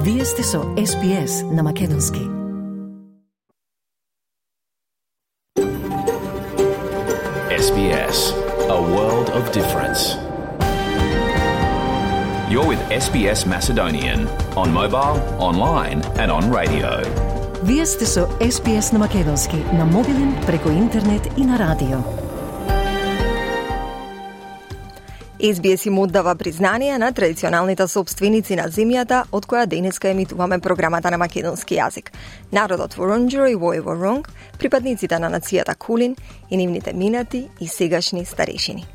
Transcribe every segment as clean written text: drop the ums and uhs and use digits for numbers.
Вие сте со SPS на Македонски. SBS, a world of difference. You're with SBS Macedonian on mobile, online and on radio. Вие сте со SPS на Македонски на мобилен, преку интернет и на радио. SBS им оддава признание на традиционалните собственици на земјата од која денеска емитуваме програмата на македонски јазик. Народот Воронџоро и Воронг, припадниците на нацијата Кулин и нивните минати и сегашни старешини.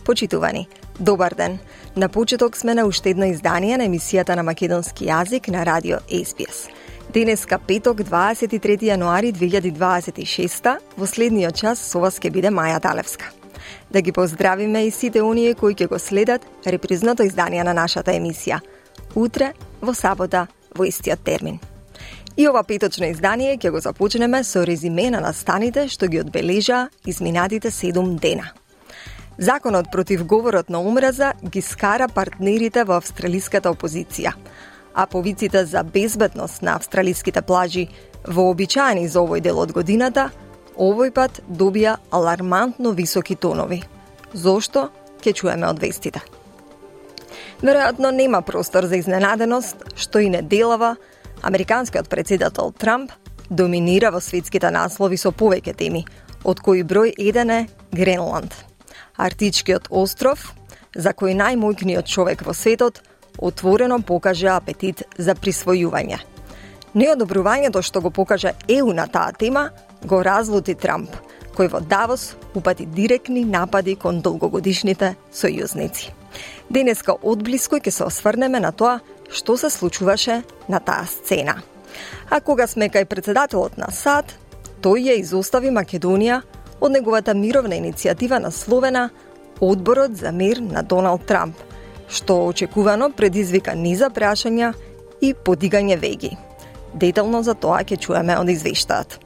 Почитувани, добар ден. На почеток сме на уште едно издание на емисијата на македонски јазик на радио SBS. Денеска петок 23 јануари 2026, во следниот час со вас ќе биде Маја Далевска. Да ги поздравиме и сите оние кои ќе го следат репризното издание на нашата емисија. Утре, во сабота, во истиот термин. И ова петочно издание ќе го започнеме со резиме на настаните што ги одбележаа изминатите 7 дена. Законот против говорот на омраза ги скара партнерите во австралиската опозиција, а повиците за безбедност на австралиските плажи, вообичаени за овој дел од годината, овој пат добија алармантно високи тонови. Зошто? Ќе чуеме од вестите. Веројатно нема простор за изненаденост што и неделава американскиот претседател Трамп доминира во светските наслови со повеќе теми, од кои број 1 е Гренланд. Арктичкиот остров, за кој најмојкниот човек во светот, отворено покажа апетит за присвојување. Неодобрувањето што го покажа ЕУ на таа тема го разлути Трамп, кој во Давос упати директни напади кон долгогодишните сојузници. Денеска одблиско ќе се осврнеме на тоа што се случуваше на таа сцена. А кога сме кај претседателот на САД, тој ја изостави Македонија од неговата мировна иницијатива насловена Одборот за мир на Доналд Трамп, што очекувано предизвика низа прашања и подигање веги. Детално за тоа ќе чуеме од извештајот.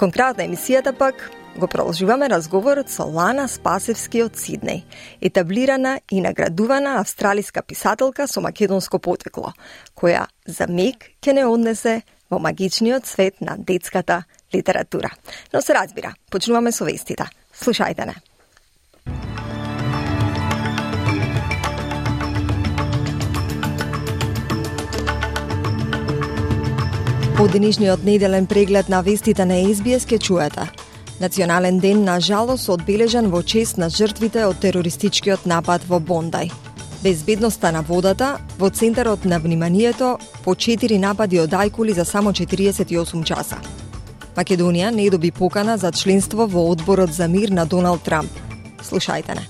Конкретна емисијата пак го продолжуваме разговорот со Лана Спасевски од Сиднеј, етаблирана и наградувана австралиска писателка со македонско потекло, која за миг ќе не однесе во магичниот свет на детската литература. Но се разбира, почнуваме со вестите. Слушајте не. Од денешниот неделен преглед на вестите на SBS ќе чуете. Национален ден на жалост одбележан во чест на жртвите од терористичкиот напад во Бондај. Безбедноста на водата во центарот на вниманието по 4 напади од ајкули за само 48 часа. Македонија не доби покана за членство во Одборот за мир на Доналд Трамп. Слушајте не.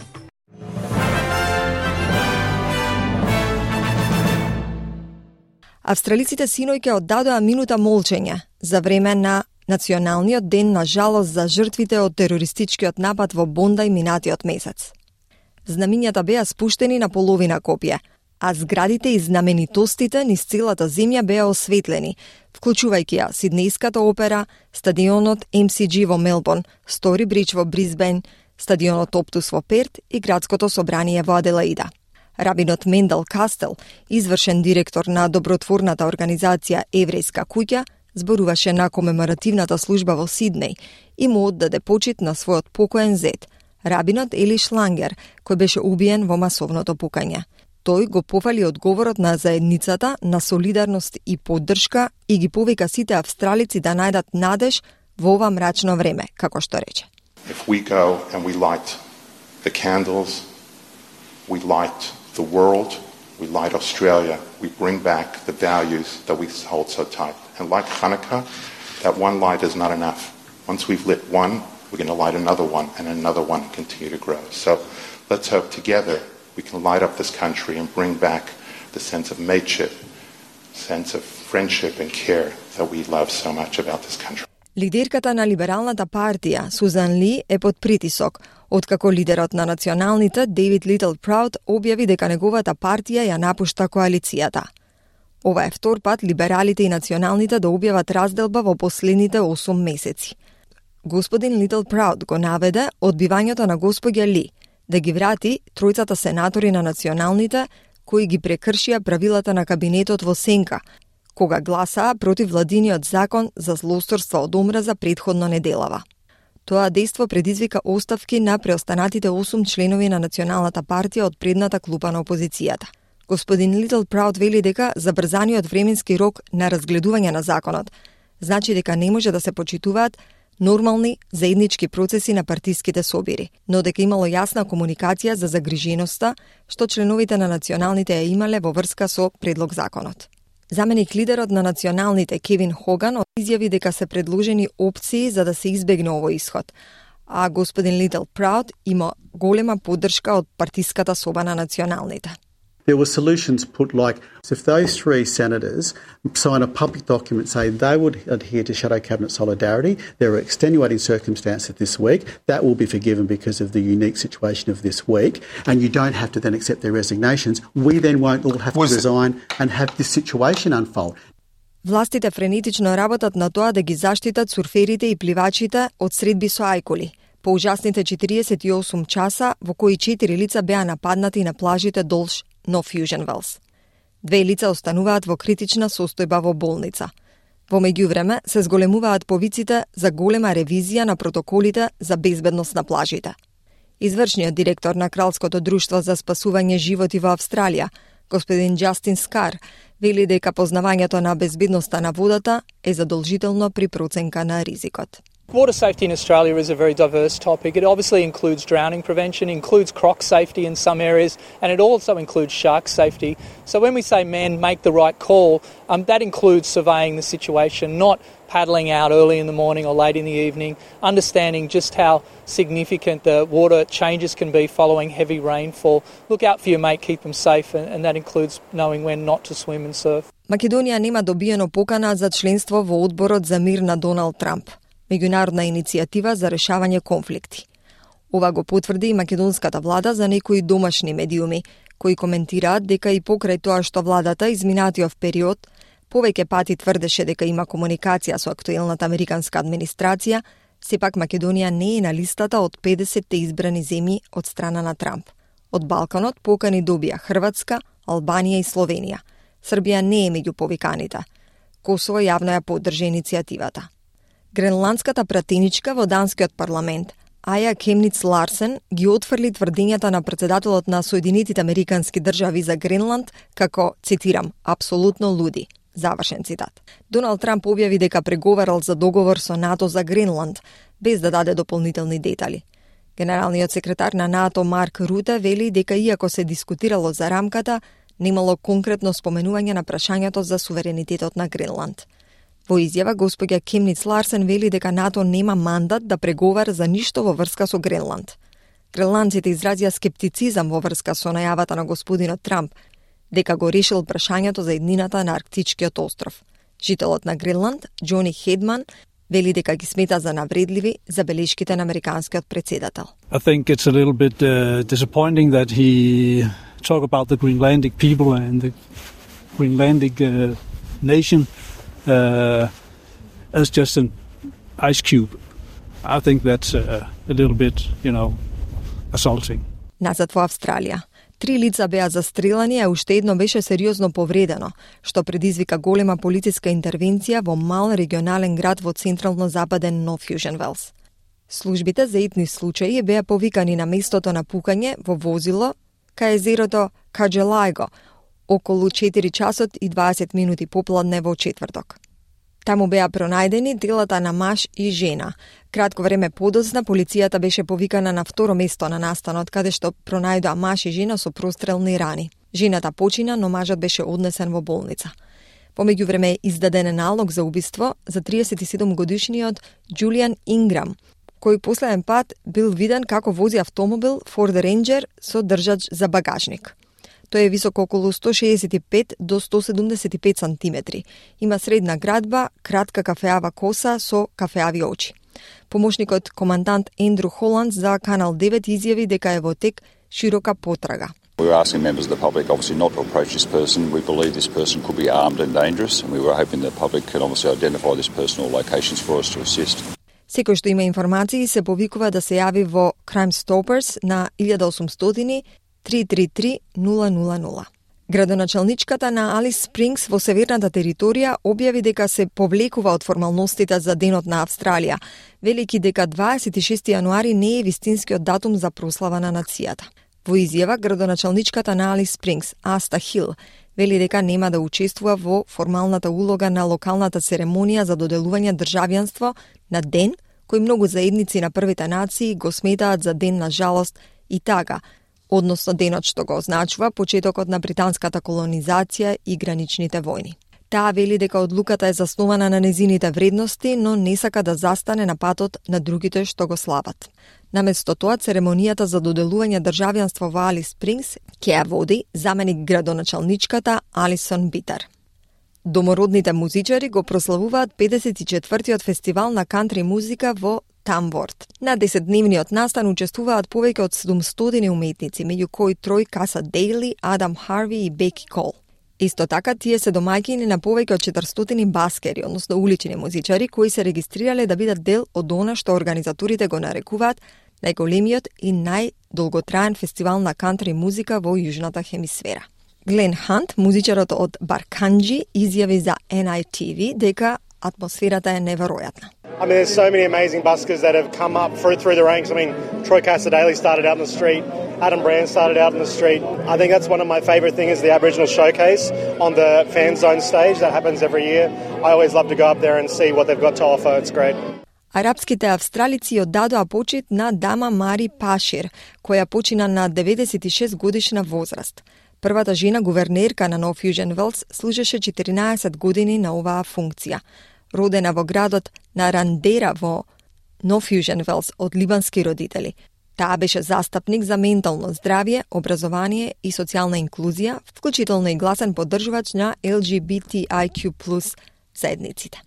Австралиците синој ќе оддадоа минута молчење за време на Националниот ден на жалост за жртвите од терористичкиот напад во Бондај минатиот месец. Знамињата беа спуштени на половина копие, а зградите и знаменитостите низ целата земја беа осветлени, вклучувајќи ја Сиднејската опера, стадионот MCG во Мелбурн, Стори Бридж во Брисбен, стадионот Оптус во Перт и градското собрание во Аделаида. Рабинот Мендел Кастел, извршен директор на добротворната организација Еврејска куќа, зборуваше на комеморативната служба во Сиднеј и му оддаде почит на својот покоен зет, рабинот Ели Шлангер, кој беше убиен во масовното пукање. Тој го пофали одговорот на заедницата на солидарност и поддршка и ги повика сите австралици да најдат надеж во ова мрачно време, како што рече. If we go and we light the candles, we light the world, we light Australia, we bring back the values that we hold so tight. And like Hanukkah, that one light is not enough. Once we've lit one, we're going to light another one and another one continue to grow. So let's hope together we can light up this country and bring back the sense of mateship, sense of friendship and care that we love so much about this country. Лидерката на Либералната партија, Сузан Ли, е под притисок, откако лидерот на националните, Дейвид Литл Прауд, објави дека неговата партија ја напушта коалицијата. Ова е втор пат либералите и националните да објават разделба во последните 8 месеци. Господин Литл Прауд го наведе одбивањето на господја Ли да ги врати тројцата сенатори на националните кои ги прекршија правилата на кабинетот во сенка, кога гласаа против владиниот закон за злоусторство од омраза претходно неделава. Тоа дејство предизвика оставки на преостанатите 8 членови на Националната партија од предната клупа на опозицијата. Господин Литл Праут вели дека забрзаниот временски рок на разгледување на законот значи дека не може да се почитуваат нормални заеднички процеси на партиските собири, но дека имало јасна комуникација за загриженоста што членовите на националните ја имале во врска со предлог законот. Заменик лидерот на националните Кевин Хоган изјави дека се предложени опции за да се избегне овој исход, а господин Литл Праут има голема поддршка од партиската соба на националните. There were solutions put like, if those 3 senators sign a public document saying they would adhere to shadow cabinet solidarity, there are extenuating circumstances this week, that will be forgiven because of the unique situation of this week, and you don't have to then accept their resignations. We then won't all have to resign and have this situation unfold. Властите френетично работат на тоа да ги заштитат сурферите и пливачите од средби со ајкули. По ужасните 48 часа во кои 4 лица беа нападнати на плажите долж No Fusion Wells. 2 лица остануваат во критична состојба во болница. Во меѓувреме се зголемуваат повиците за голема ревизија на протоколите за безбедност на плажите. Извршниот директор на Кралското друштво за спасување животи во Австралија, господин Джастин Скар, вели дека познавањето на безбедноста на водата е задолжително при проценка на ризикот. Water safety in Australia is a very diverse topic. It obviously includes drowning prevention, includes croc safety in some areas, and it also includes shark safety. So when we say men make the right call, that includes surveying the situation, not paddling out early in the morning or late in the evening, understanding just how significant the water changes can be following heavy rainfall. Look out for your mate, keep them safe, and that includes knowing when not to swim and surf. Македонија нема добиено покана за членство во одборот за мир на Доналд Трамп, меѓународна иницијатива за решавање конфликти. Ова го потврди и македонската влада за некои домашни медиуми, кои коментираат дека и покрај тоа што владата изминатиот период повеќе пати тврдеше дека има комуникација со актуелната американска администрација, сепак Македонија не е на листата од 50 избрани земји од страна на Трамп. Од Балканот покани добија Хрватска, Албанија и Словенија. Србија не е меѓу повиканите. Косово јавно ја поддржи иницијативата. Гренландската пратеничка во данскиот парламент, Аја Кемниц Ларсен, ги отфрли тврдењата на претседателот на Соединетите Американски држави за Гренланд како, цитирам, апсолутно луди. Завршен цитат. Доналд Трамп објави дека преговарал за договор со НАТО за Гренланд, без да даде дополнителни детали. Генералниот секретар на НАТО Марк Руте вели дека иако се дискутирало за рамката, немало конкретно споменување на прашањето за суверенитетот на Гренланд. Во изјава, господја Кемниц Ларсен вели дека НАТО нема мандат да преговара за ништо во врска со Гренланд. Гренландците изразија скептицизам во врска со најавата на господинот Трамп, дека го решил прашањето за еднината на Арктичкиот остров. Жителот на Гренланд, Џони Хедман, вели дека ги смета за навредливи забелешките на американскиот претседател. I think it's a little bit disappointing that he talk about the Greenlandic people and the Greenlandic nation as just an ice cube. I think that's a little bit, assaulting. Назад во Австралија. 3 лица беа застрелани, а уште едно беше сериозно повредено, што предизвика голема полициска интервенција во мал регионален град во централно-западен No Fusion Wells. Службите за итни случаи беа повикани на местото на пукање во возило кај езерото Каджелајго, околу 4 часот и 20 минути попладне во четврток. Таму беа пронајдени телата на маж и жена. Кратко време подоцна полицијата беше повикана на второ место на настанот, каде што пронајдоа маж и жена со прострелни рани. Жената почина, но мажот беше однесен во болница. По меѓувреме издаден налог за убиство за 37 годишниот Џулијан Инграм, кој последен пат бил виден како вози автомобил Ford Ranger со држач за багажник. Тој е висок околу 165 до 175 сантиметри. Има средна градба, кратка кафеава коса со кафеави очи. Помошникот командант Ендру Холанд за Канал 9 изјави дека е во тек широка потрага. We were asking members of the public obviously not to approach this person. We believe this person could be armed and dangerous, and we were hoping the public could obviously identify this person or locations for us to assist. Секој што има информации се повикува да се јави во Crime Stoppers на 1800 333 000. Градоначалничката на Алис Спрингс во северната територија објави дека се повлекува од формалностите за Денот на Австралија, велики дека 26 јануари не е вистинскиот датум за прослава на нацијата. Во изјава, градоначалничката на Алис Спрингс, Аста Хил, вели дека нема да учествува во формалната улога на локалната церемонија за доделување државјанство на ден кој многу заедници на првите нации го сметаат за ден на жалост и тага, односно денот што го означува почетокот на британската колонизација и граничните војни. Таа вели дека одлуката е заснована на незините вредности, но не сака да застане на патот на другите што го слават. Наместо тоа, церемонијата за доделување државјанство во Алис Спрингс ќе ја води заменик градоначалничката Алисон Битар. Домородните музичари го прославуваат 54-тиот фестивал на кантри музика во Тамворт. На 10-дневниот настан учествуваат повеќе од 700 уметници, меѓу кои Трој Каса Дейли, Адам Харви и Беки Кол. Исто така, тие се домаќини на повеќе од 400 баскери, односно улични музичари, кои се регистрирале да бидат дел од она што организаторите го нарекуваат најголемиот и најдолготраен фестивал на кантри музика во Јужната хемисфера. Глен Хант, музичарот од Барканџи, изјави за NITV дека атмосферата е неверојатна. I mean, there's so many amazing buskers that have come up through the ranks. I mean, Troy Casadei started out in the street. Adam Brand started out in the street. I think that's one of my favourite things is the Aboriginal Showcase on the Fan Zone stage. That happens every year. I always love to go up there and see what they've got to offer. It's great. Арапските австралици оддадоа почит на дама Мари Пашир, која почина на 96 годишна возраст. Првата жена гувернерка на Нов Јужен Велс служеше 14 години на оваа функција. Родена во градот на Рандера во Нов Јужен Велс од либански родители. Таа беше застапник за ментално здравје, образование и социјална инклузија, вклучително и гласен поддржувач на LGBTIQ+ заедниците.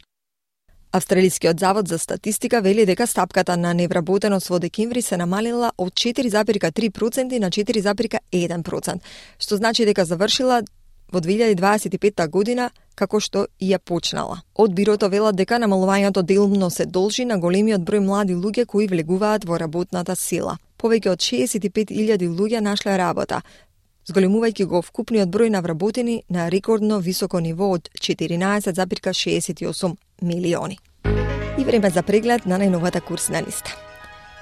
Австралискиот завод за статистика вели дека стапката на невработеност во декември се намалила од 4,3% на 4,1%, што значи дека завршила во 2025 година како што и ја почнала. Од бирото велат дека намалувањето делумно се должи на големиот број млади луѓе кои влегуваат во работната сила. Повеќе од 65.000 луѓе нашле работа, зголемувајќи го вкупниот број на вработени на рекордно високо ниво од 14,68 милиони. И време за преглед на најновата курсна листа.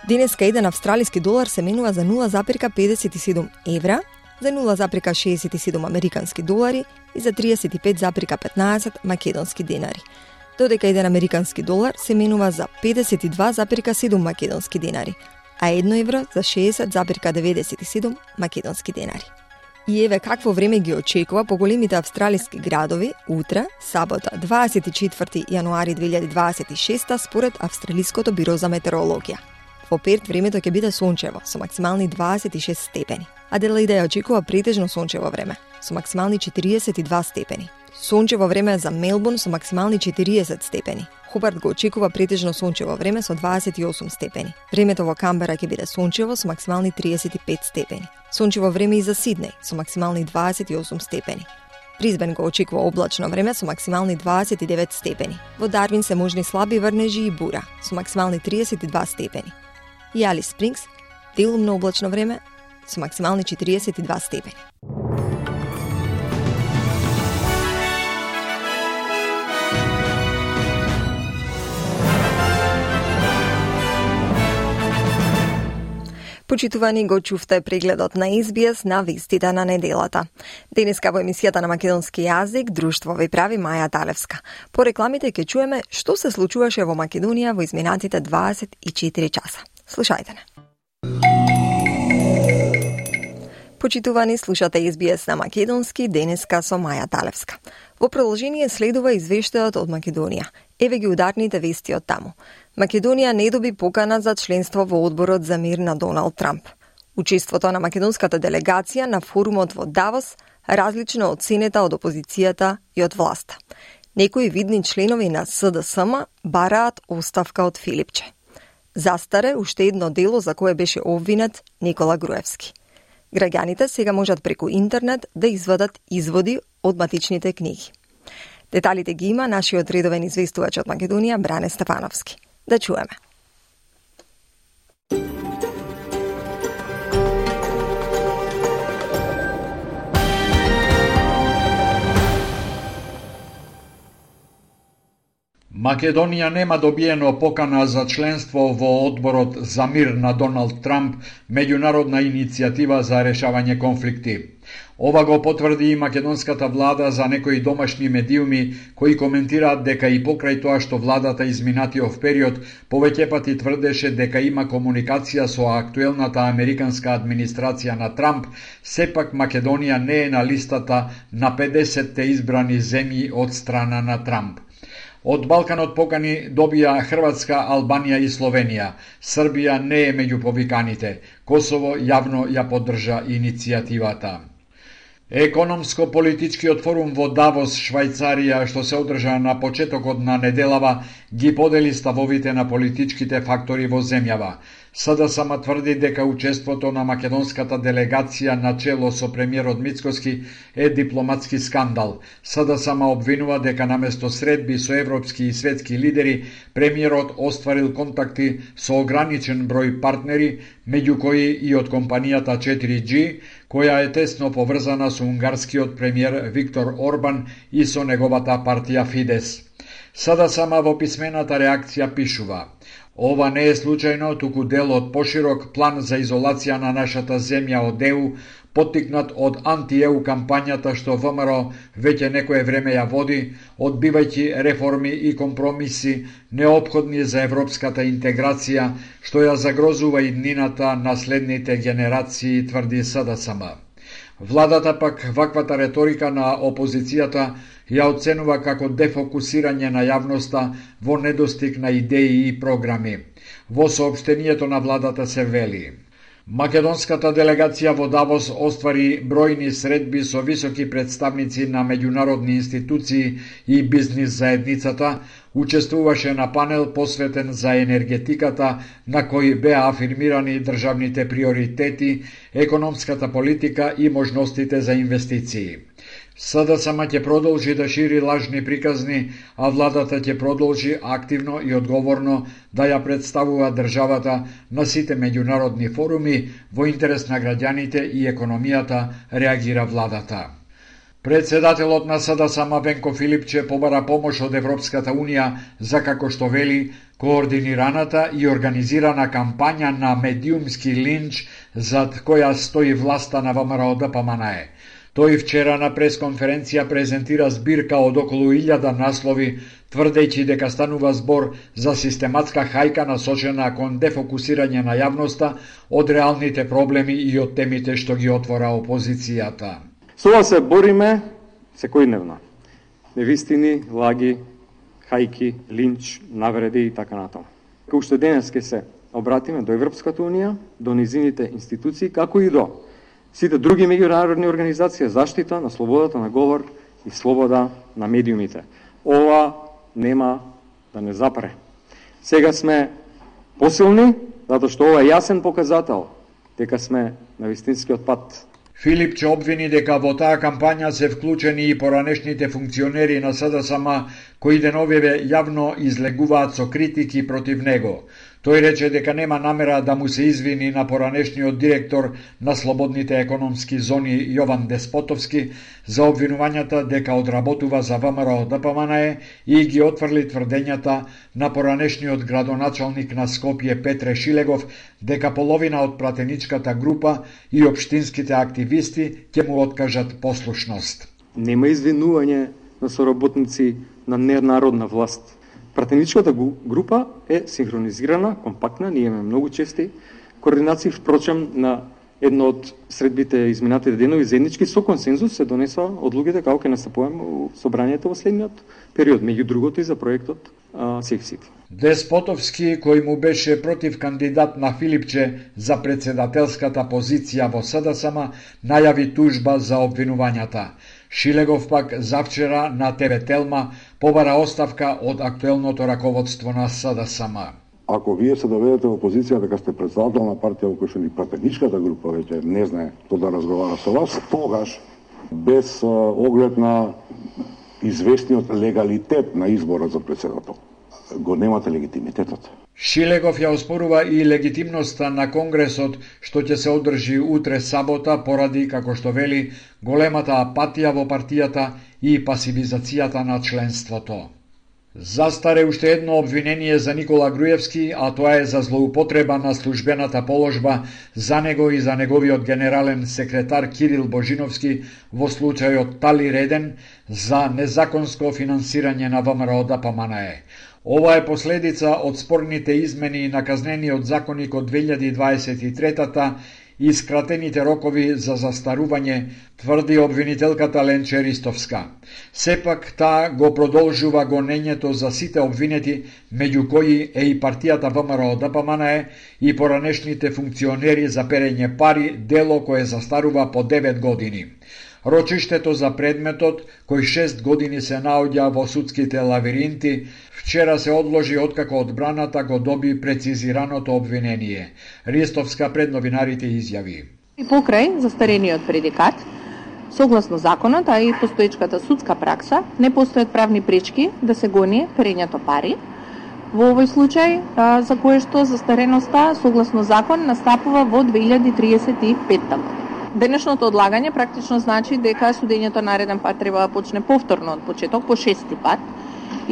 Денеска еден австралиски долар се менува за 0,57 евра, за 0,67 американски долари и за 35,15 македонски денари. Додека еден американски долар се менува за 52,7 македонски денари, а 1 евро за 60,97 македонски денари. И еве какво време ги очекува по големите австралиски градови утре, сабота, 24 јануари 2026 според Австралиското биро за метеорологија. Во Перт времето ќе биде сончево со максимални 26 степени. Аделаида ја очекува претежно сончево време со максимални 42 степени. Сончево време за Мелбурн со максимални 40 степени. Хобарт го очекува претежно сончево време со 28 степени. Времето во Камбера ќе биде сончево со максимални 35 степени. Сончево време и за Сиднеј со максимални 28 степени. Брисбен го очекува облачно време со максимални 29 степени. Во Дарвин се можни слаби врнежи и бура со максимални 32 степени. И Алис Спрингс делумно облачно време со максимални 42 степени. Почитувани, го чувте прегледот на SBS на вестите на неделата. Денеска во емисијата на македонски јазик друштво ви прави Маја Талевска. По рекламите ќе чуеме што се случуваше во Македонија во изминатите 24 часа. Слушајте не. Почитувани, слушате SBS на македонски денеска со Маја Талевска. Во продолжение следува извештајот од Македонија. Еве ги ударните вести од таму. Македонија не доби покана за членство во одборот за мир на Доналд Трамп. Учеството на македонската делегација на форумот во Давос различно оценета од опозицијата и од власта. Некои видни членови на СДСМ бараат оставка од Филипче. Застаре уште едно дело за кое беше обвинет Никола Груевски. Граѓаните сега можат преку интернет да извадат изводи од матичните книги. Деталите ги има нашиот редовен известувач од Македонија Бране Стефановски. Да чуеме. Македонија нема добиено покана за членство во одборот за мир на Доналд Трамп, меѓународна иницијатива за решавање конфликти. Ова го потврди и македонската влада за некои домашни медиуми кои коментираат дека и покрај тоа што владата изминатиот период повеќе пати тврдеше дека има комуникација со актуелната американска администрација на Трамп, сепак Македонија не е на листата на 50-те избрани земји од страна на Трамп. Од Балканот покани добија Хрватска, Албанија и Словенија. Србија не е меѓу повиканите. Косово јавно ја поддржа иницијативата. Економско-политичкиот форум во Давос, Швајцарија, што се одржа на почетокот на неделава, ги подели ставовите на политичките фактори во земјава. СДСМ тврди дека учеството на македонската делегација на чело со премиерот Мицкоски е дипломатски скандал. СДСМ обвинува дека наместо средби со европски и светски лидери, премиерот остварил контакти со ограничен број партнери, меѓу кои и од компанијата 4G, која е тесно поврзана со унгарскиот премиер Виктор Орбан и со неговата партија Фидес. СДСМ во писмената реакција пишува: ова не е случајно, туку дел од поширок план за изолација на нашата земја од ЕУ, поттикнат од анти-ЕУ кампањата што ВМРО веќе некое време ја води, одбивајќи реформи и компромиси неопходни за европската интеграција, што ја загрозува иднината на следните генерации, тврди СДСМ. Владата пак ваквата реторика на опозицијата ја оценува како дефокусирање на јавноста во недостиг на идеи и програми. Во соопштението на владата се вели: македонската делегација во Давос оствари бројни средби со високи представници на меѓународни институции и бизнис заедницата, учествуваше на панел посветен за енергетиката, на кој беа афирмирани државните приоритети, економската политика и можностите за инвестиции. СДСМ ќе продолжи да шири лажни приказни, а владата ќе продолжи активно и одговорно да ја представува државата на сите меѓународни форуми во интерес на граѓаните и економијата, реагира владата. Председателот на СДСМ Венко Филипче побара помош од Европската Унија за, како што вели, координираната и организирана кампања на медиумски линч зад која стои власта на ВМРО-ДПМНЕ. Тој вчера на пресконференција презентира збирка од околу 1000 наслови, тврдејќи дека станува збор за систематска хајка насочена кон дефокусирање на јавноста од реалните проблеми и од темите што ги отвора опозицијата. Со ова се бориме секојдневно. Невистини, лаги, хајки, линч, навреди и така натаму. Како уште денес ќе се обратиме до Европската Унија, до низините институции, како и до сите други меѓународни организации, заштита на слободата на говор и слобода на медиумите. Ова нема да не запре. Сега сме посилни, затоа што ова е јасен показател дека сме на вистинскиот пат. Филипче обвини дека во таа кампања се вклучени и поранешните функционери на СДСМ, кои деновиве јавно излегуваат со критики против него. Тој рече дека нема намера да му се извини на поранешниот директор на слободните економски зони Јован Деспотовски за обвинувањата дека одработува за ВМРО-ДПМНЕ и ги отфрли тврдењата на поранешниот градоначалник на Скопје Петре Шилегов дека половина од пратеничката група и општинските активисти ќе му откажат послушност. Нема извинување на соработници на ненародна власт. Пратеничката група е синхронизирана, компактна, ние имаме многу чести координации, впрочем на едно од средбите изминатите денови заеднички со консензус се донесува одлугите како ќе настапуваме во собранието во следниот период, меѓу другото и за проектот Safe City. Деспотовски, кој му беше против кандидат на Филипче за председателската позиција во СДСМ, најави тужба за обвинувањата. Шилегов пак завчера на ТВ Телма побара оставка од актуелното раководство на СДСМ. Ако вие се доведете во позиција дека сте председател на партија во која што ни пратеничката група веќе не знае што да разговара со вас, тогаш без оглед на известниот легалитет на изборот за председател, го немате легитимитетот. Шилегов ја оспорува и легитимноста на Конгресот што ќе се одржи утре сабота поради, како што вели, големата апатија во партијата и пасивизацијата на членството. Застаре уште едно обвинение за Никола Груевски, а тоа е за злоупотреба на службената положба за него и за неговиот генерален секретар Кирил Божиновски во случајот Тали Реден за незаконско финансирање на ВМРО-ДПМНЕ. Ова е последица од спорните измени на казнениот законник од 2023-та и скратените рокови за застарување, тврди обвинителката Ленче Ристовска. Сепак таа го продолжува гонењето за сите обвинети, меѓу кои е и партијата ВМРО-ДПМНЕ и поранешните функционери за перење пари, дело кое застарува по 9 години. Рочиштето за предметот, кој 6 години се наоѓа во судските лавиринти, вчера се одложи откако одбраната го доби прецизираното обвинение. Ристовска пред новинарите изјави. И покрај застарениот предикат, согласно законот, а и постоечката судска пракса, не постојат правни пречки да се гони перењето пари. Во овој случај, за кое што застареноста, согласно закон, настапува во 2035 година. Денешното одлагање практично значи дека судењето нареден пат треба да почне повторно од почеток, по 6-ти пат.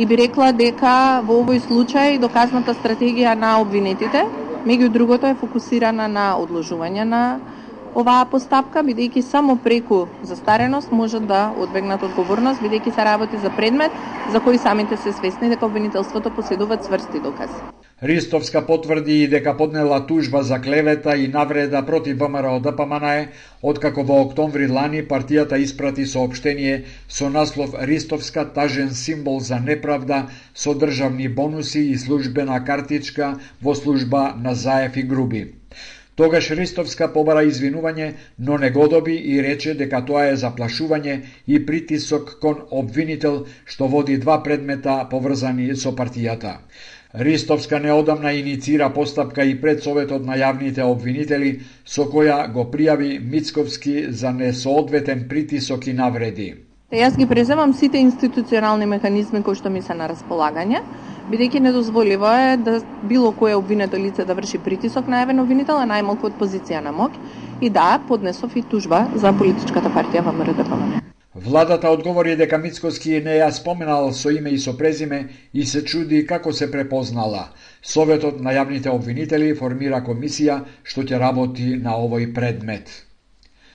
И би рекла дека во овој случај доказната стратегија на обвинетите, меѓу другото, е фокусирана на одложување на оваа постапка, бидејќи само преку застареност можат да одбегнат одговорност, бидејќи се работи за предмет за кој самите се свесни дека обвинителството поседува цврсти докази. Ристовска потврди и дека поднела тужба за клевета и навреда против ВМРО-ДПМНЕ, откако во октомври лани партијата испрати соопштение со наслов Ристовска тажен символ за неправда со државни бонуси и службена картичка во служба на Заев и Груби. Тогаш Ристовска побара извинување, но не го доби и рече дека тоа е заплашување и притисок кон обвинител што води 2 предмета поврзани со партијата. Ристовска неодамна иницира постапка и пред Советот на јавните обвинители, со која го пријави Мицковски за несоодветен притисок и навреди. Јас ги преземам сите институционални механизми кои што ми се на располагање, бидејќи недозволиво е да било кое обвинето лице да врши притисок на јавен обвинител, а најмалку од позиција на моќ, и да, поднесов и тужба за политичката партија ВМРО-ДПМНЕ. Владата одговори дека Мицковски не ја споменал со име и со презиме и се чуди како се препознала. Советот на јавните обвинители формира комисија што ќе работи на овој предмет.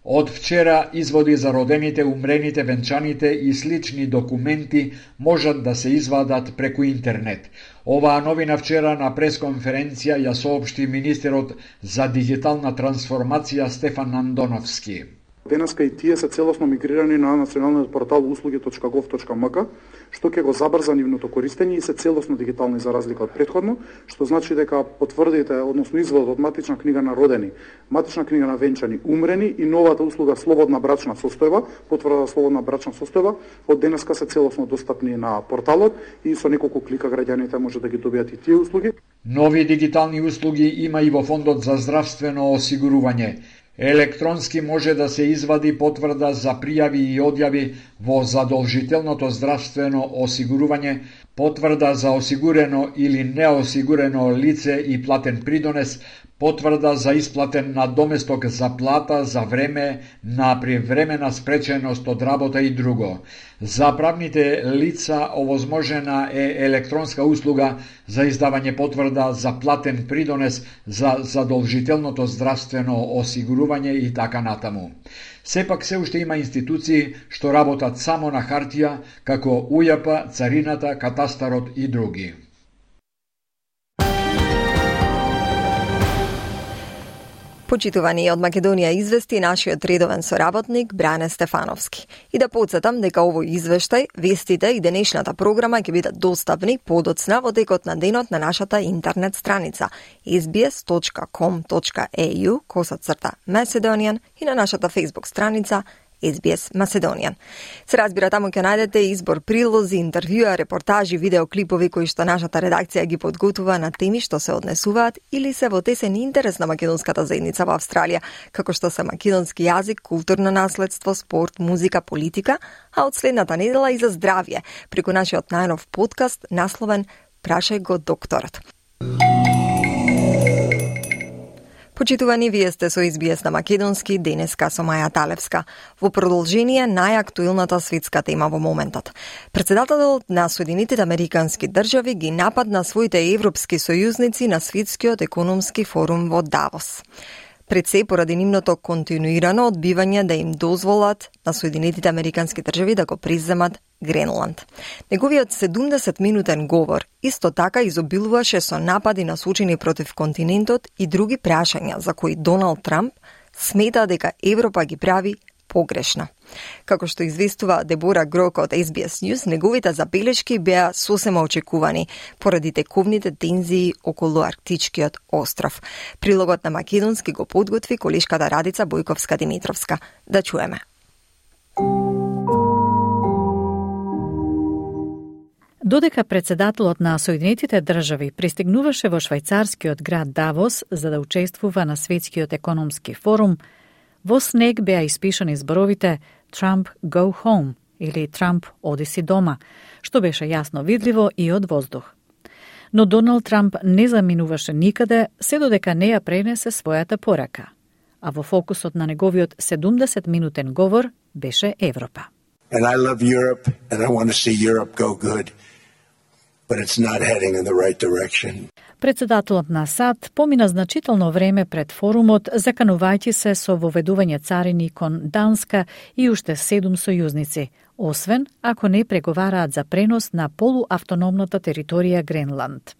Од вчера изводи за родените, умрените, венчаните и слични документи можат да се извадат преку интернет. Оваа новина вчера на пресконференција ја соопшти министерот за дигитална трансформација Стефан Андоновски. Денеска и тие се целосно мигрирани на националниот портал услуги.gov.mk, што ќе го забрза нивното користење и се целосно дигитални за разлика од претходно, што значи дека потврдите, односно изводот од матична книга на родени, матична книга на венчани, умрени и новата услуга слободна брачна состојба, потврда слободна брачна состојба, од денеска се целосно достапни на порталот и со неколку клика граѓаните може да ги добијат и тие услуги. Нови дигитални услуги има и во Фондот за здравствено осигурување. Електронски може да се извади потврда за пријави и одјави во задолжителното здравствено осигурување, потврда за осигурено или неосигурено лице и платен придонес, потврда за исплатен надоместок за плата за време на привремена спреченост од работа и друго. За правните лица овозможена е електронска услуга за издавање потврда за платен придонес за задолжителното здравствено осигурување и така натаму. Сепак се уште има институции што работат само на хартија, како УЈП, Царината, Катастарот и други. Почитувани од Македонија извести нашиот редовен соработник Бране Стефановски. И да подсетам дека овој извештај, вестите и денешната програма ќе бидат достапни подоцна во текот на денот на нашата интернет страница sbs.com.au/Macedonian и на нашата Facebook страница SBS Macedonian. Се разбира, таму ќе најдете избор прилози, интервјуа, репортажи, видеоклипови кои што нашата редакција ги подготува на теми што се однесуваат или се во тесен интерес на македонската заедница во Австралија, како што се македонски јазик, културно наследство, спорт, музика, политика, а од следната недела и за здравје, преку нашиот најнов подкаст насловен Прашај го докторот. Почитувани, вие сте со SBS на Македонски, денеска со Маја Талевска. Во продолжение најактуелната светска тема во моментот. Председателот на Соединетите Американски држави ги нападна своите европски сојузници на Светскиот економски форум во Давос. Пред се поради нивното континуирано одбивање да им дозволат на Соединетите Американски држави да го преземат Гренланд. Неговиот 70-минутен говор исто така изобилуваше со напади насочени против континентот и други прашања за кои Доналд Трамп смета дека Европа ги прави погрешно. Како што известува Дебора Грок од SBS News, неговите забелешки беа сосема очекувани поради тековните тензии околу Арктичкиот остров. Прилогот на Македонски го подготви колешката Радица Бојковска-Димитровска. Да чуеме. Додека председателот на Соединетите држави пристигнуваше во швајцарскиот град Давос за да учествува на Светскиот економски форум, во снег беа испишани зборовите «Trump, go home» или «Трамп, оди си дома», што беше јасно видливо и од воздух. Но Доналд Трамп не заминуваше никаде, се додека не ја пренесе својата порака. А во фокусот на неговиот 70-минутен говор беше Европа. And I love Europe, and I want to see Europe go good, but it's not heading in the right direction. Председателот на САД помина значително време пред форумот, заканувајќи се со воведување царини кон Данска и уште 7 сојузници, освен ако не преговараат за пренос на полуавтономната територија Гренланд.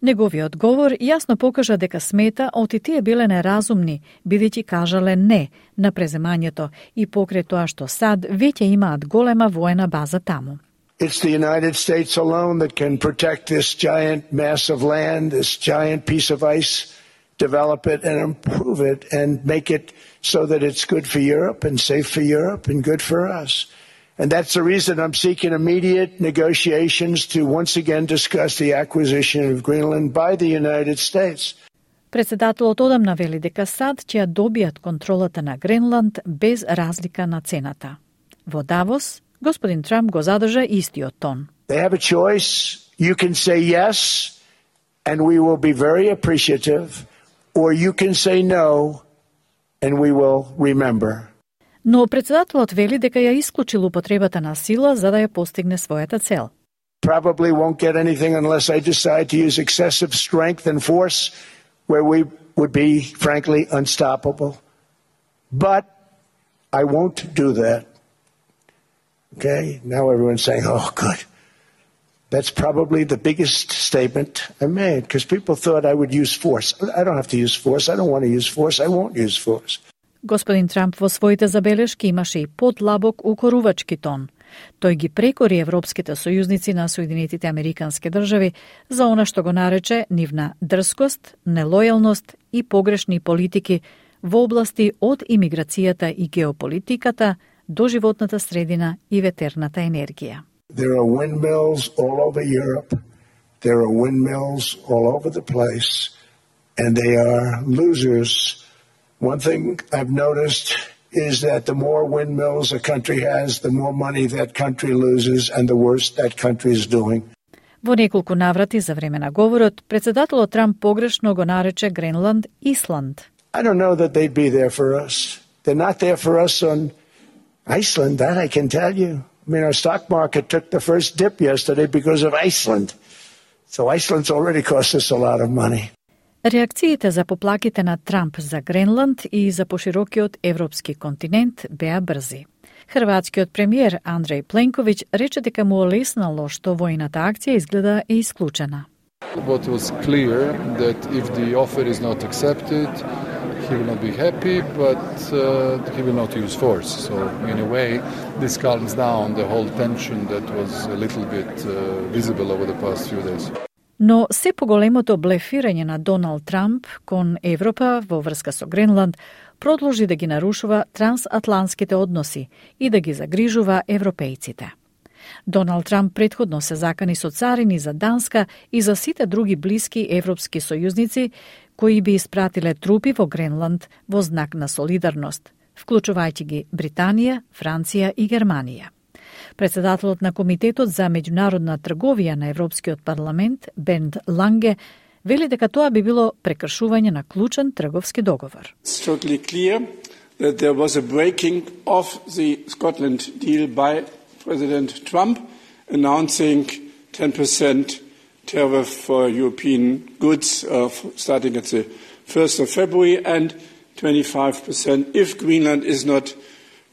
Неговиот говор јасно покажа дека смета оти тие биле неразумни, бидејќи кажале не на преземањето и покрај тоа што САД веќе имаат голема воена база таму. It's the United States alone that can protect this giant mass of land, this giant piece of ice, develop it and improve it and make it so that it's good for Europe and safe for Europe and good for us. And that's the reason I'm seeking immediate negotiations to once again discuss the acquisition of Greenland by the United States. Председателот одамна вели дека САД ќе добијат контролата на Гренланд без разлика на цената. Во Давос, господин Трамп го задржа истиот тон. They have a choice. You can say yes, and we will be very appreciative, or you can say no, and we will remember. Но председателот вели дека ја исклучил употребата на сила за да ја постигне својата цел. Probably won't get anything unless I decide to use excessive strength and force where we would be, frankly, unstoppable. But I won't do that. Okay? Now everyone's saying, oh, good. That's probably the biggest statement I made because people thought I would use force. I don't have to use force. I don't want to use force. I won't use force. Господин Трамп во своите забелешки имаше и подлабок укорувачки тон. Тој ги прекори европските сојузници на Соединетите Американски држави за она што го нарече нивна дрскост, нелојалност и погрешни политики во области од имиграцијата и геополитиката до животната средина и ветерната енергија. There are windmills all over Europe. There are windmills all over the place. And they are losers. One thing I've noticed is that the more windmills a country has, the more money that country loses and the worse that country is doing. Во неколку наврати за време на говорот, председателот Трамп погрешно го нарече Гренланд Исланд. I don't know that they'd be there for us. They're not there for us on Iceland, that I can tell you. I mean, our stock market took the first dip yesterday because of Iceland. So Iceland's already cost us a lot of money. Реакциите за поплаките на Трамп за Гренланд и за поширокиот европски континент беа брзи. Хрватскиот премиер Андрей Пленковиќ рече дека му олеснало што војната акција изгледа е исклучена. What was clear that if the offer is not accepted, he will not be happy, but he will not use force. So in a way, this calms down the whole tension that was a little bit visible over the past few days. Но се поголемото блефирање на Доналд Трамп кон Европа во врска со Гренланд продолжи да ги нарушува трансатлантските односи и да ги загрижува европејците. Доналд Трамп претходно се закани со царини за Данска и за сите други блиски европски сојузници кои би испратиле трупи во Гренланд во знак на солидарност, вклучувајќи ги Британија, Франција и Германија. Председателот на Комитетот за меѓународна трговија на Европскиот парламент, Бернт Ланге, вели дека тоа би било прекршување на клучен трговски договор. It's totally clear that there was a breaking of the Scotland deal by President Trump, announcing 10% tariff for European goods starting at the 1st of February and 25% if Greenland is not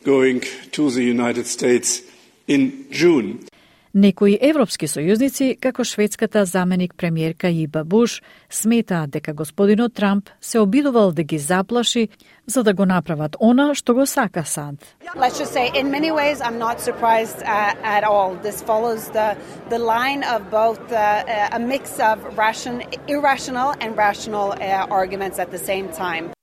going to the United States in June. Некои европски сојузници, како шведската заменик премиерка Иба Буш, сметаат дека господинот Трамп се обидувал да ги заплаши за да го направат она што го сака сад. Let's just say, in many ways, I'm not surprised at all. This follows the line of both a mix of irrational and rational arguments at the same time.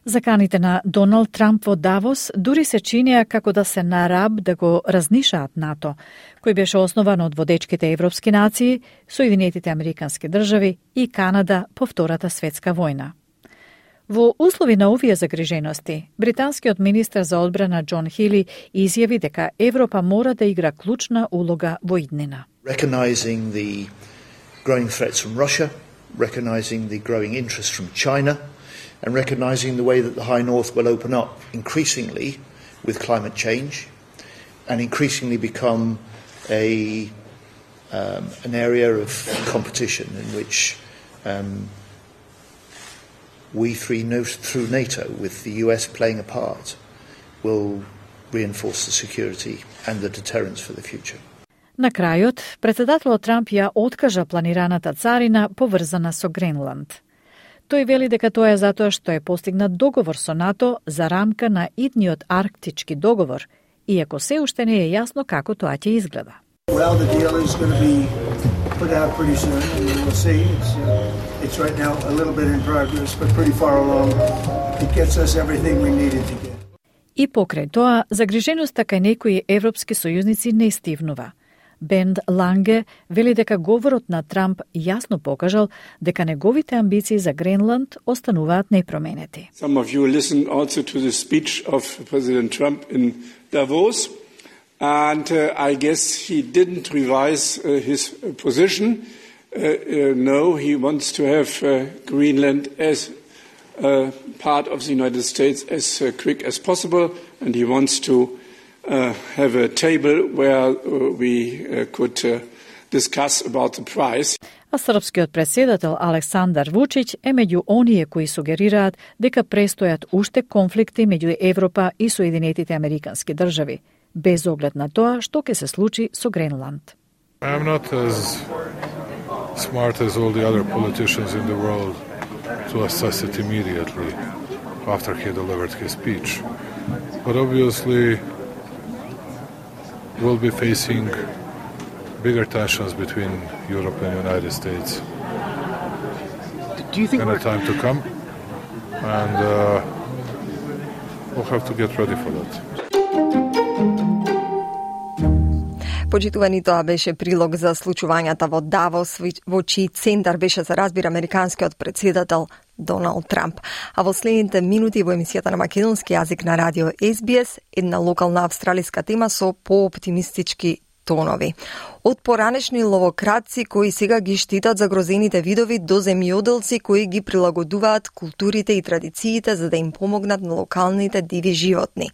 Заканите на Доналд Трамп во Давос дури се чинеа како да се на раб да го разнишаат НАТО, кој беше основан од водечките европски нации, Соединетите Американски држави и Канада по Втората светска војна. Во услови на овие загрижености, британскиот министер за одбрана Џон Хили изјави дека Европа мора да игра клучна улога во иднина. Recognizing the growing threats from Russia, recognizing the growing interest from China, and recognizing the way that the High North will open up increasingly with climate change and increasingly become an area of competition in which we three, through NATO, with the US playing a part, will reinforce the security and the deterrence for the future. На крајот, председателот Трамп ја откажа планираната царина поврзана со Гренланд. Тој вели дека тоа е затоа што е постигнат договор со НАТО за рамка на идниот арктички договор, иако се уште не е јасно како тоа ќе изгледа. Well, the deal is going to be put out pretty soon, and we'll see. It's right now a little bit in progress, but pretty far along. It gets us everything we needed to get. И покрај тоа, загриженоста кај некои европски сојузници не стивнува. Бенд Ланге вели дека говорот на Трамп јасно покажал дека неговите амбиции за Гренланд остануваат непроменети. Some of you listened also to the speech of President Trump in Davos, and I guess he didn't revise his position. No, he wants to have Greenland as part of the United States as quick as possible, and he wants to have a table where we could discuss about the price. А српскиот претседател Александар Вучиќ е меѓу оние кои сугерираат дека престојат уште конфликти меѓу Европа и Соединетите Американски држави, без оглед на тоа што ќе се случи со Гренланд. I'm not as smart as all the other politicians in the world to assess it immediately after he delivered his speech. But obviously we'll be facing bigger tensions between Europe and the United States Do you think in a time to come, and we'll have to get ready for that. Почитувани, тоа беше прилог за случувањата во Давос, во чиј центар беше, за разбира, американскиот претседател Доналд Трамп. А во следните минути во емисијата на македонски јазик на радио SBS, една локална австралиска тема со пооптимистички тонови. Од поранешни ловократци кои сега ги штитат загрозените видови до земјоделци кои ги прилагодуваат културите и традициите за да им помогнат на локалните диви животни.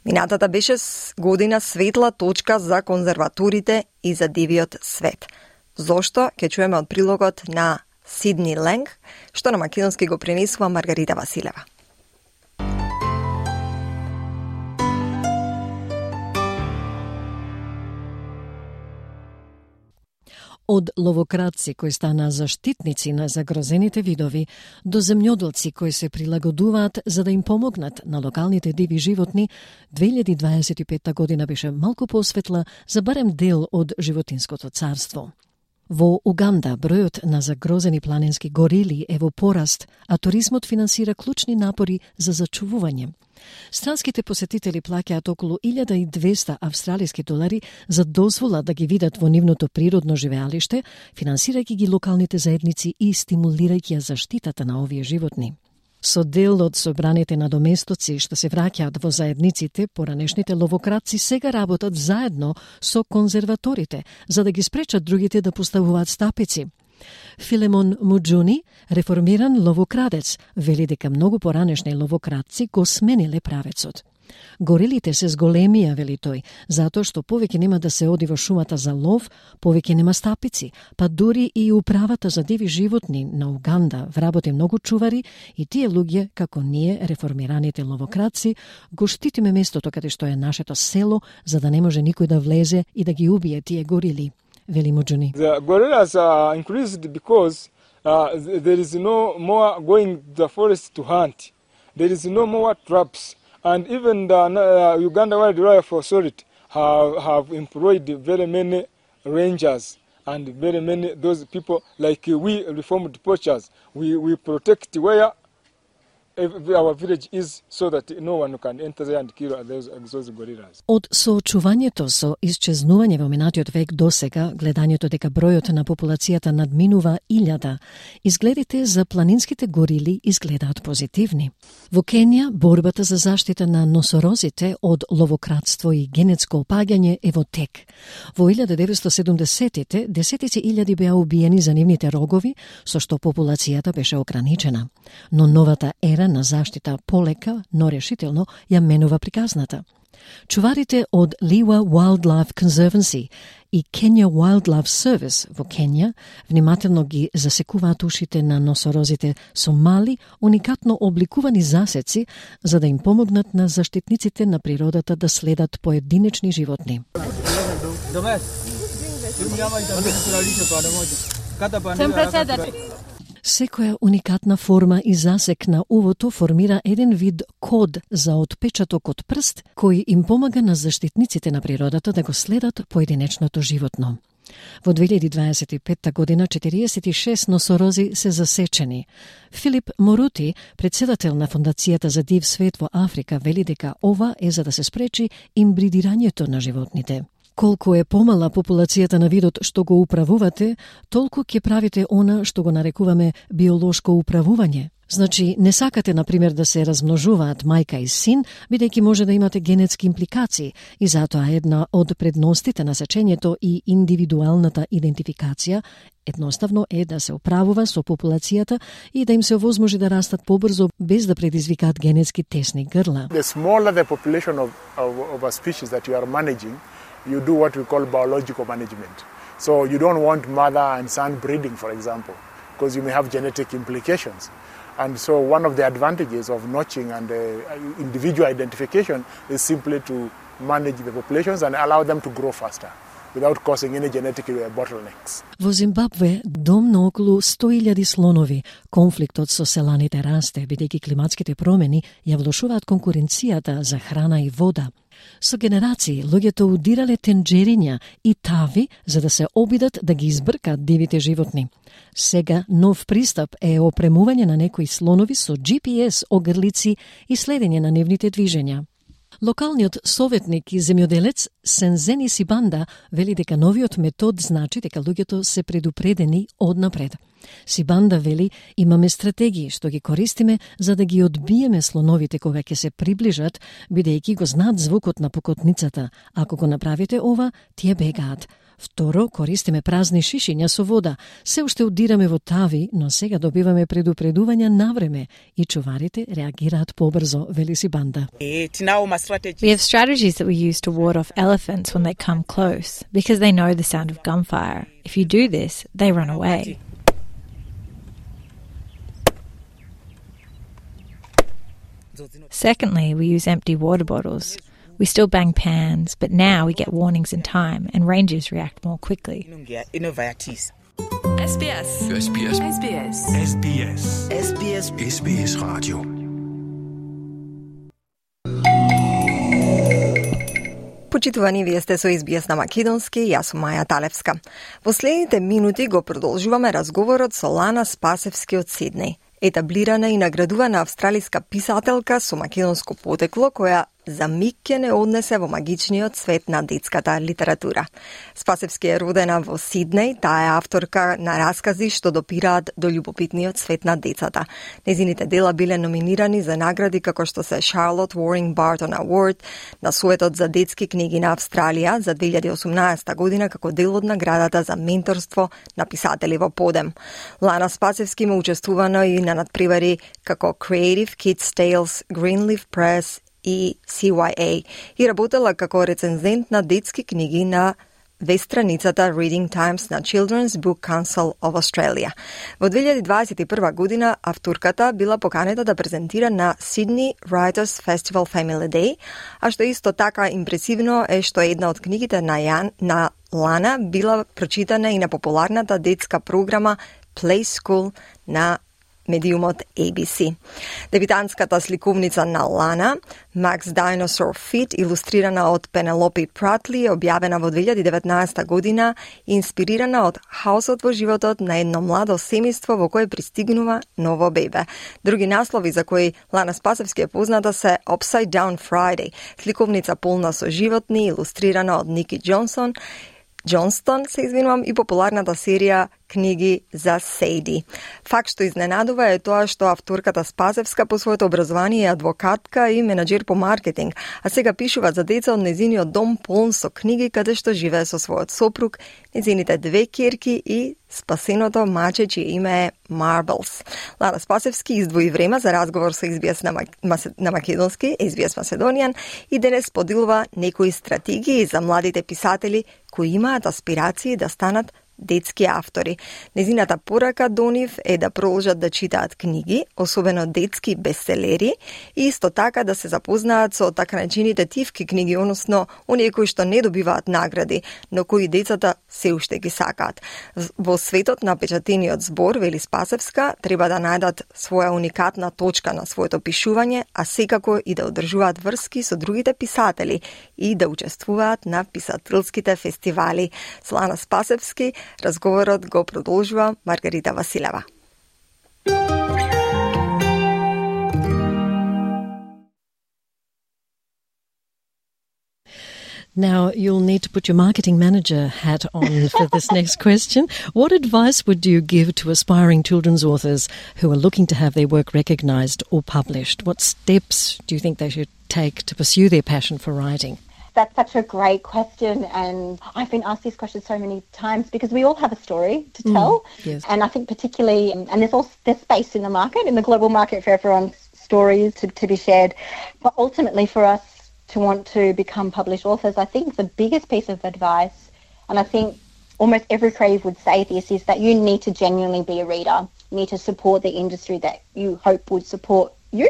Минатата беше година светла точка за конзерваторите и за дивиот свет. Зошто? Ќе чуеме од прилогот на Сидни Ленг, што на македонски го пренесува Маргарита Василева. Од ловократци кои стана заштитници на загрозените видови до земјоделци кои се прилагодуваат за да им помогнат на локалните диви животни, 2025 година беше малку посветла за барем дел од животинското царство. Во Уганда бројот на загрозени планински горили е во пораст, а туризмот финансира клучни напори за зачувување. Странските посетители плаќаат околу 1200 австралиски долари за дозвола да ги видат во нивното природно живеалиште, финансирајќи ги локалните заедници и стимулирајќи ја заштитата на овие животни. Со дел од собраните надоместоци што се враќаат во заедниците, поранешните ловократци сега работат заедно со конзерваторите, за да ги спречат другите да поставуваат стапици. Филемон Муџуни, реформиран ловокрадец, вели дека многу поранешни ловокрадци го смениле правецот. Горилите се зголемија, вели тој, затоа што повеќе нема да се оди во шумата за лов, повеќе нема стапици, па дури и управата за диви животни на Уганда вработи многу чувари и тие луѓе, како ние, реформираните ловокрадци, го штитиме местото каде што е нашето село, за да не може никој да влезе и да ги убие тие горили, вели Муџуни. The gorillas are increased because there is no more going to the forest to hunt. There is no more traps. And even the Uganda Wildlife Authority have employed very many rangers and very many those people like we reformed poachers. We protect where our village is so that no one can enter there and kill those gorillas. Од соочувањето со исчезнување во минатиот век до сега, гледањето дека бројот на популацијата надминува 1000, изгледите за планинските горили изгледаат позитивни. Во Кенија, борбата за заштита на носорозите од ловократство и генетско опаѓање е во тек. Во 1970-тите, десетици илјади беа убиени за нивните рогови, со што популацијата беше ограничена. Но новата ера на заштита полека, но решително ја менува приказната. Чуварите од Liwa Wildlife Conservancy и Kenya Wildlife Service во Кенија внимателно ги засекуваат ушите на носорозите со мали, уникатно обликувани засеци за да им помогнат на заштитниците на природата да следат поединечни животни. Секоја уникатна форма и засек на увото формира еден вид код за отпечаток од прст, кој им помага на заштитниците на природата да го следат поединечното животно. Во 2025 година 46 носорози се засечени. Филип Морути, председател на Фондацијата за див свет во Африка, вели дека ова е за да се спречи имбридирањето на животните. Колку е помала популацијата на видот што го управувате, толку ќе правите она што го нарекуваме биолошко управување. Значи, не сакате, например, да се размножуваат мајка и син, бидејќи може да имате генетски импликации, и затоа една од предностите на сечењето и индивидуалната идентификација едноставно е да се управува со популацијата и да им се овозможи да растат побрзо без да предизвикаат генетски тесни грла. The smaller the population of a species that you are managing, you do what we call biological management. So you don't want mother and son breeding, for example, because you may have genetic implications. And so one of the advantages of notching and individual identification is simply to manage the populations and allow them to grow faster without causing any genetic bottlenecks. Во Зимбабве дом на околу 100.000 слонови. Конфликтот со селаните расте, бидејќи климатските промени ја влошуваат конкуренцијата за храна и вода. Со генерации луѓето удирале тенџериња и тави за да се обидат да ги избркат дивите животни. Сега нов пристап е опремување на некои слонови со GPS огрлици и следење на нивните движења. Локалниот советник и земјоделец Сензени Сибанда вели дека новиот метод значи дека луѓето се предупредени однапред. Сибанда вели, имаме стратегии што ги користиме за да ги одбиеме слоновите кога ќе се приближат, бидејќи го знаат звукот на покотницата. Ако го направите ова, тие бегаат. Второ, користиме празни шишиња со вода. Се уште удираме во тави, но сега добиваме предупредувања навреме и чуварите реагираат побрзо, вели Сибанда. We have strategies that we use to ward off elephants when they come close, because they know the sound of gunfire. If you do this, they run away. Secondly, we use empty water bottles. We still bang pans, but now we get warnings in time and rangers react more quickly. SBS. SBS. SBS. SBS. SBS. SBS Radio. Почитувани, вие сте со SBS на Македонски, јас сум Маја Талевска. Во следните минути го продолжуваме разговорот со Лана Спасевски од Сиднеј, етаблирана и наградувана австралиска писателка со македонско потекло, која за миг ќе не однесе во магичниот свет на детската литература. Спасевски е родена во Сиднеј, таа е авторка на раскази што допираат до љубопитниот свет на децата. Незините дела биле номинирани за награди како што се Charlotte Waring Barton Award на Советот за детски книги на Австралија за 2018 година како дел од наградата за менторство на писатели во подем. Лана Спасевски има учествувано и на надпревари како Creative Kids Tales, Greenleaf Press и CYA и работела како рецензент на детски книги на веб-страницата Reading Times на Children's Book Council of Australia. Во 2021 година авторката била поканета да презентира на Sydney Writers Festival Family Day, а што исто така импресивно е што една од книгите на Лана била прочитана и на популарната детска програма Play School на медиумот ABC. Дебитантската сликовница на Лана, Max Dinosaur Fit, илустрирана од Пенелопи Пратли, објавена во 2019 година и инспирирана од хаосот во животот на едно младо семејство во кое пристигнува ново бебе. Други наслови за кои Лана Спасевски е позната се Upside Down Friday, сликовница полна со животни, илустрирана од Ники Джонстон и популарната серија книги за Сейди. Факт што изненадува е тоа што авторката Спасевска по своето образование е адвокатка и менаџер по маркетинг, а сега пишува за деца од незиниот дом полн со книги каде што живее со својот сопруг, незините две ќерки и спасеното маче чие име е Marbles. Лана Спасевски издвои време за разговор со SBS на македонски, SBS Macedonian, и денес поделува некои стратегии за младите писатели кои имаат аспирации да станат детски автори. Незината порака до нив е да продолжат да читаат книги, особено детски бестселери, и исто така да се запознаат со така наречените тивки книги, односно оние кои што не добиваат награди, но кои децата се уште ги сакаат. Во светот на печатениот збор, вели Спасевска, треба да најдат своја уникатна точка на своето пишување, а секако и да одржуваат врски со другите писатели и да учествуваат на писателските фестивали. Со Лана Спасевски разговорот го продолжува Маргарита Василева. Now, you'll need to put your marketing manager hat on for this next question. What advice would you give to aspiring children's authors who are looking to have their work recognised or published? What steps do you think they should take to pursue their passion for writing? That's such a great question, and I've been asked this question so many times because we all have a story to tell. Yes. And I think particularly, and there's space in the market, in the global market, for everyone's stories to be shared. But ultimately for us to want to become published authors, I think the biggest piece of advice, and I think almost every creative would say this, is that you need to genuinely be a reader. You need to support the industry that you hope would support you.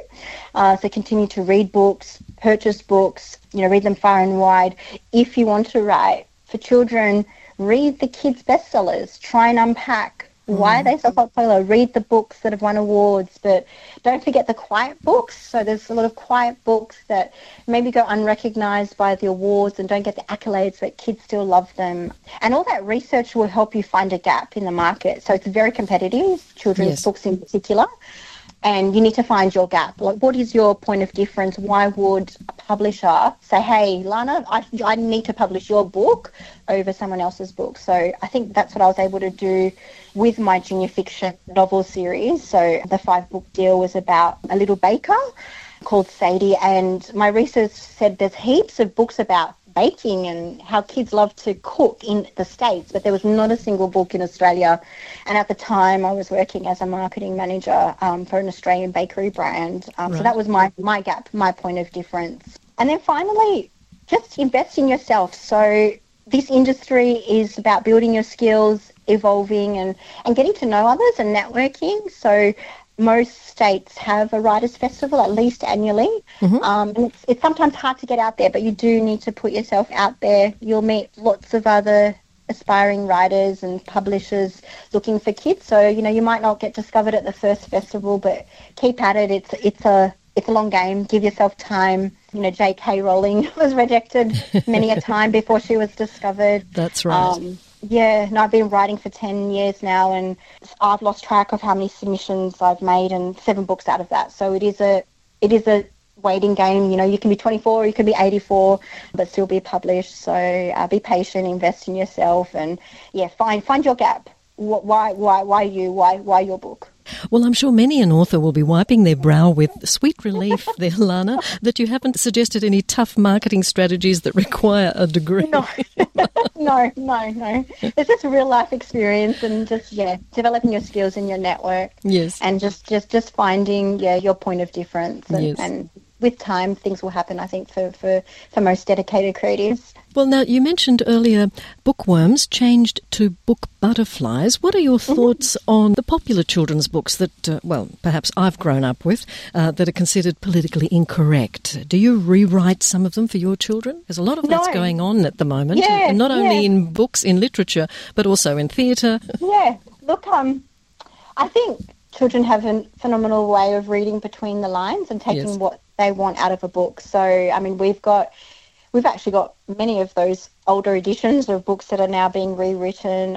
So continue to read books, purchase books, read them far and wide. If you want to write for children, read the kids' bestsellers. Try and unpack why are they so popular. Read the books that have won awards, but don't forget the quiet books. So there's a lot of quiet books that maybe go unrecognized by the awards and don't get the accolades, but kids still love them. And all that research will help you find a gap in the market. So it's very competitive, children's books in particular. And you need to find your gap. Like, what is your point of difference? Why would a publisher say, hey, Lana, I need to publish your book over someone else's book? So I think that's what I was able to do with my junior fiction novel series. So the 5-book deal was about a little baker called Sadie. And my research said there's heaps of books about baking and how kids love to cook in the States, but there was not a single book in Australia. And at the time I was working as a marketing manager for an Australian bakery brand. So that was my gap, my point of difference. And then finally, just invest in yourself. So this industry is about building your skills, evolving and getting to know others and networking. So most states have a writers' festival at least annually. And it's sometimes hard to get out there, but you do need to put yourself out there. You'll meet lots of other aspiring writers and publishers looking for kids. So, you might not get discovered at the first festival, but keep at it. It's a long game. Give yourself time. J.K. Rowling was rejected many a time before she was discovered. That's right. I've been writing for 10 years now, and I've lost track of how many submissions I've made, and 7 books out of that. So it is a waiting game. You know, you can be 24, you can be 84, but still be published. So be patient, invest in yourself, and find your gap. Why you? Why your book? Well, I'm sure many an author will be wiping their brow with sweet relief there, Lana, that you haven't suggested any tough marketing strategies that require a degree. No. It's just real life experience and just, developing your skills in your network. Yes. And just finding, your point of difference. And with time, things will happen, I think, for most dedicated creatives. Well, now, you mentioned earlier bookworms changed to book butterflies. What are your thoughts on the popular children's books that, perhaps I've grown up with, that are considered politically incorrect? Do you rewrite some of them for your children? There's a lot of that's going on at the moment, and not only in books, in literature, but also in theatre. Yeah, look, I think children have a phenomenal way of reading between the lines and taking what they want out of a book. So, I mean, we've actually got many of those older editions of books that are now being rewritten.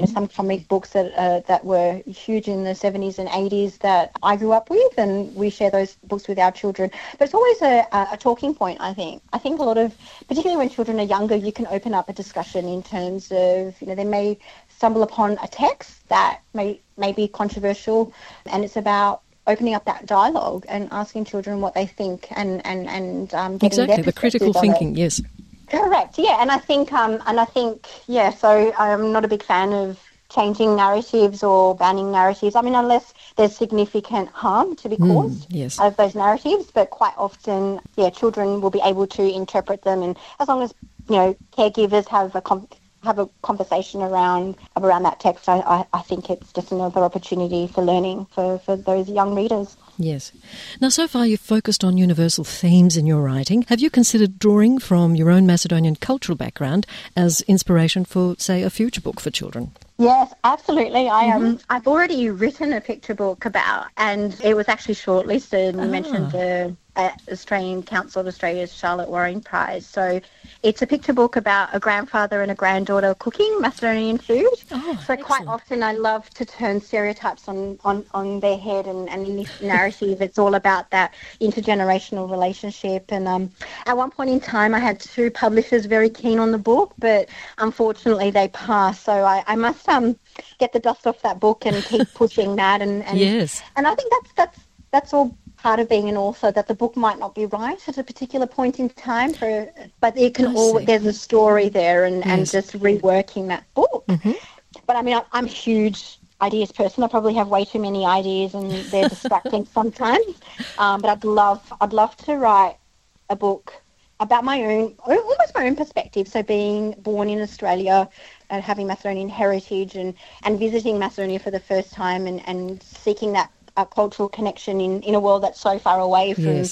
Some comic books that were huge in the 70s and 80s that I grew up with, and we share those books with our children. But it's always a talking point, I think. I think a lot of, particularly when children are younger, you can open up a discussion in terms of, they may stumble upon a text that may be controversial, and it's about opening up that dialogue and asking children what they think and getting exactly the critical thinking. Yes, correct. Yeah, and I think So I'm not a big fan of changing narratives or banning narratives. I mean, unless there's significant harm to be caused of those narratives. But quite often, children will be able to interpret them, and as long as caregivers have a conversation around that text, I think it's just another opportunity for learning for those young readers. Yes. Now, so far you've focused on universal themes in your writing. Have you considered drawing from your own Macedonian cultural background as inspiration for, say, a future book for children? Yes, absolutely. I've already written a picture book about, and it was actually shortlisted. You mentioned the Australian Council of Australia's Charlotte Waring Prize. So it's a picture book about a grandfather and a granddaughter cooking Macedonian food. So quite often I love to turn stereotypes on their head, and in this narrative it's all about that intergenerational relationship. And at one point in time I had two publishers very keen on the book, but unfortunately they passed. So I must get the dust off that book and keep pushing that. And yes. And I think that's all part of being an author, that the book might not be right at a particular point in time, but it can there's a story there, and just reworking that book. But I mean, I'm a huge ideas person. I probably have way too many ideas, and they're distracting sometimes. But I'd love to write a book about almost my own perspective. So being born in Australia and having Macedonian heritage, and visiting Macedonia for the first time, and seeking that cultural connection in a world that's so far away from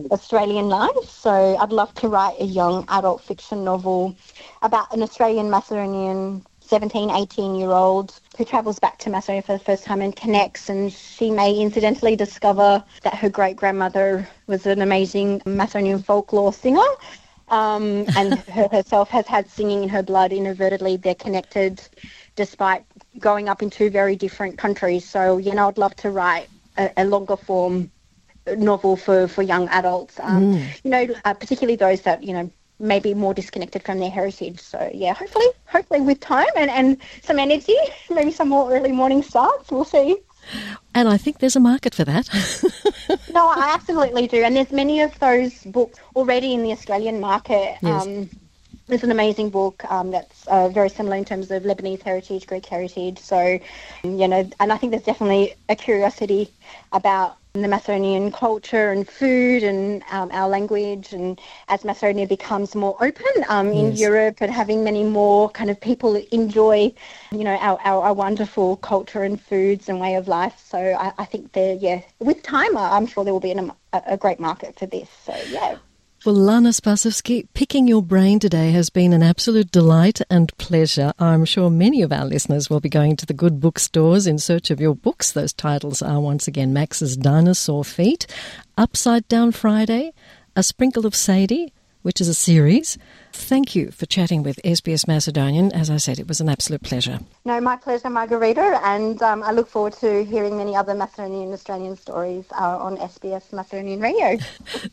Australian life. So I'd love to write a young adult fiction novel about an Australian Macedonian 17, 18-year-old who travels back to Macedonia for the first time and connects, and she may incidentally discover that her great-grandmother was an amazing Macedonian folklore singer, and herself has had singing in her blood. Inadvertently, they're connected despite growing up in two very different countries. So, I'd love to write a longer form novel for young adults, particularly those that, may be more disconnected from their heritage. So, hopefully with time and some energy, maybe some more early morning starts, we'll see. And I think there's a market for that. No, I absolutely do. And there's many of those books already in the Australian market. Yes. There's an amazing book that's very similar in terms of Lebanese heritage, Greek heritage. So, and I think there's definitely a curiosity about the Macedonian culture and food and our language. And as Macedonia becomes more open in Europe, and having many more kind of people enjoy, our wonderful culture and foods and way of life. So I think with time, I'm sure there will be a great market for this. So, yeah. Well, Lana Spasovski, picking your brain today has been an absolute delight and pleasure. I'm sure many of our listeners will be going to the good bookstores in search of your books. Those titles are once again Max's Dinosaur Feet, Upside Down Friday, A Sprinkle of Sadie, which is a series. Thank you for chatting with SBS Macedonian. As I said, it was an absolute pleasure. No, my pleasure, Margarita, and I look forward to hearing many other Macedonian and Australian stories on SBS Macedonian Radio.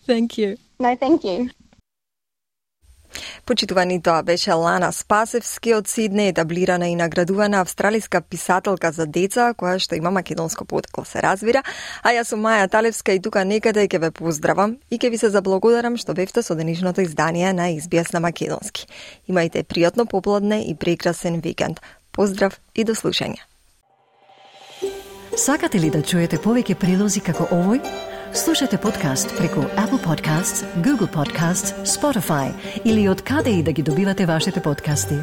Thank you. No, thank you. Почитувани, тоа беше Лана Спасевски од Сидне, етаблирана и наградувана австралиска писателка за деца, која што има македонско потекло, се разбира. А јас сум Маја Талевска и тука некаде ќе ве поздравам и ќе ви се заблагодарам што бевте со денешното издание на SBS на македонски. Имајте пријатно попладне и прекрасен викенд. Поздрав и до слушање. Сакате ли да чуете повеќе прилози како овој? Слушате подкаст преку Apple Podcasts, Google Podcasts, Spotify или од каде и да ги добивате вашите подкасти.